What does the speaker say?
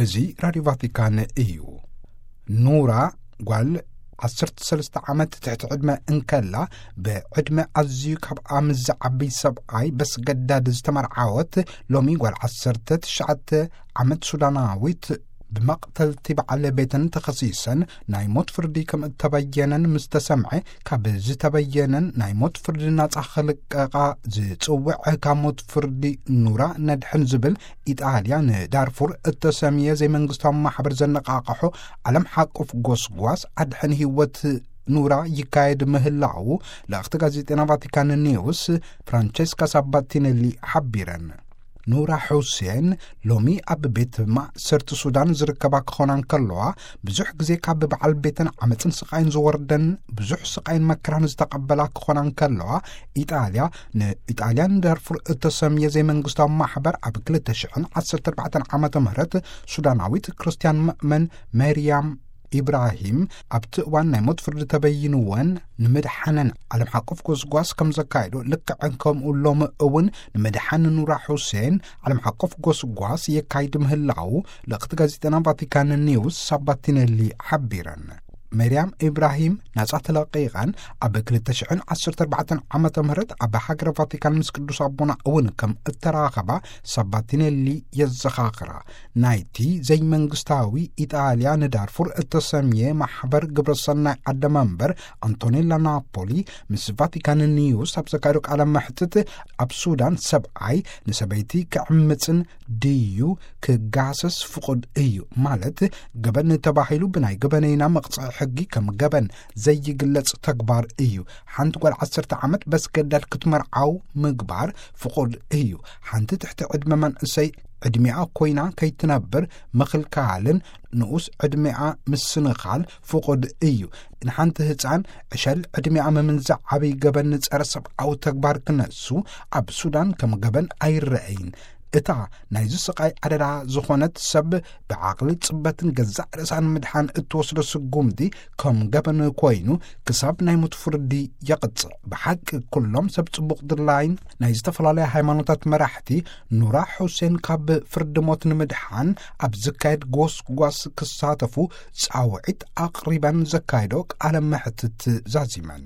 እዚ ራድዮ ቫቲካን እዩ። ኑራ ጓል ዓሰርተ ሰለስተ ዓመት ትሕቲ ዕድመ እንከላ፣ ብዕድመ ኣዝዩ ካብ ኣምዝ ዓብይ ሰብኣይ በስገዳድ ዝተመርዓወት፣ ሎሚ ጓል ዓሰርተ ትሽዓተ ዓመት ሱዳናዊት፣ ብመቕተልቲ በዓል ቤተን ተኸሲሰን ናይ ሞት ፍርዲ ከም እተበየነን ምስ ተሰምዐ፣ ካብ ዝተበየነን ናይ ሞት ፍርዲ ናጻ ክልቀቓ ዝጽውዕ ካብ ሞት ፍርዲ ኑራ ነድሕን ዝብል ኢጣልያ ንዳርፉር እተሰምየ ዘይመንግስታዊ ማሕበር ዘነቓቕሖ ዓለም ሓቁፍ ጎስጓስ ኣድሕን ህይወት ኑራ ይካየድ ምህላዉ ልእኽቲ ጋዜጠና ቫቲካን ኒውስ ፍራንቸስካ ሳባቲነሊ ሓቢረን። ኑራ ሑሴን ሎሚ ኣብ ቤት ማእሰርቲ ሱዳን ዝርከባ ክኾና እንከለዋ፣ ብዙሕ ግዜ ካብ በዓል ቤተን ዓመፅን ስቓይን ዝወርደን፣ ብዙሕ ስቓይን መከራን ዝተቐበላ ክኾና እንከለዋ፣ ኢጣልያ ንኢጣልያን ዳርፉር እተሰምየ ዘይመንግስታዊ ማሕበር ኣብ ክልተ ሽሕን ዓሰርተ ኣርባዕተን ዓመተ ምህረት ሱዳናዊት ክርስትያን መእመን መርያም ኢብራሂም ኣብቲ እዋን ናይ ሞት ፍርዲ ተበይንወን ንምድሓነን ዓለም ሓቆፍ ጎስጓስ ከም ዘካየዱ፣ ልክዕን ከምኡ ሎሚ እውን ንምድሓን ኑራ ሑሴን ዓለም ሓቆፍ ጎስጓስ የካይድ ምህላዉ ልእኽቲ ጋዜጠና ቫቲካን ኒውስ ሳባቲነሊ ሓቢረን። መርያም ኢብራሂም ናጻ ተለቒቐን ኣብ ክልተ ሽሕን ዓሰርተ ኣርባዕተን ዓመተ ምህረት ኣብ ሃገረ ቫቲካን ምስ ቅዱስ ኣቦና እውን ከም እተራኸባ ሳባቲነሊ የዘኻኽራ። ናይቲ ዘይመንግስታዊ ኢጣልያ ንዳርፉር እተሰምየ ማሕበር ግብረሰናይ ዓደ መንበር ኣንቶኔላ ናፖሊ ምስ ቫቲካን ኒውስ ኣብ ዘካየዶ ቃለ መሕትት፣ ኣብ ሱዳን ሰብኣይ ንሰበይቲ ክዕምጽን ድዩ ክጋሰስ ፍቑድ እዩ፣ ማለት ገበን ተባሂሉ ብናይ ገበነይና መቕጽዒ ሕጊ ከም ገበን ዘይግለጽ ተግባር እዩ። ሓንቲ ጓል ዓሰርተ ዓመት በስገዳድ ክትመርዓው ምግባር ፍቑድ እዩ። ሓንቲ ትሕቲ ዕድመ መንእሰይ ዕድሚኣ ኮይና ከይትነብር ምኽልካልን ንኡስ ዕድሚኣ ምስንኻል ፍቑድ እዩ። ንሓንቲ ህፃን ዕሸል ዕድሚኣ ምምንዛዕ ዓብይ ገበን ንጸረ ሰብኣዊ ተግባር ክነሱ ኣብ ሱዳን ከም ገበን ኣይረአይን። እታ ናይዚ ስቓይ ኣደዳ ዝኾነት ሰብ ብዓቕሊ ጽበትን ገዛእ ርእሳን ምድሓን እትወስዶ ስጉምቲ ከም ገበን ኮይኑ ክሳብ ናይ ሞት ፍርዲ የቕጽዕ። ብሓቂ ኩሎም ሰብ ጽቡቕ ድላይን ናይ ዝተፈላለያ ሃይማኖታት መራሕቲ ኑራ ሑሴን ካብ ፍርዲ ሞት ንምድሓን ኣብ ዝካየድ ጎስጓስ ክሳተፉ ጻውዒት ኣቕሪበን ዘካየዶ ቃለ መሕትት ዛዚመን።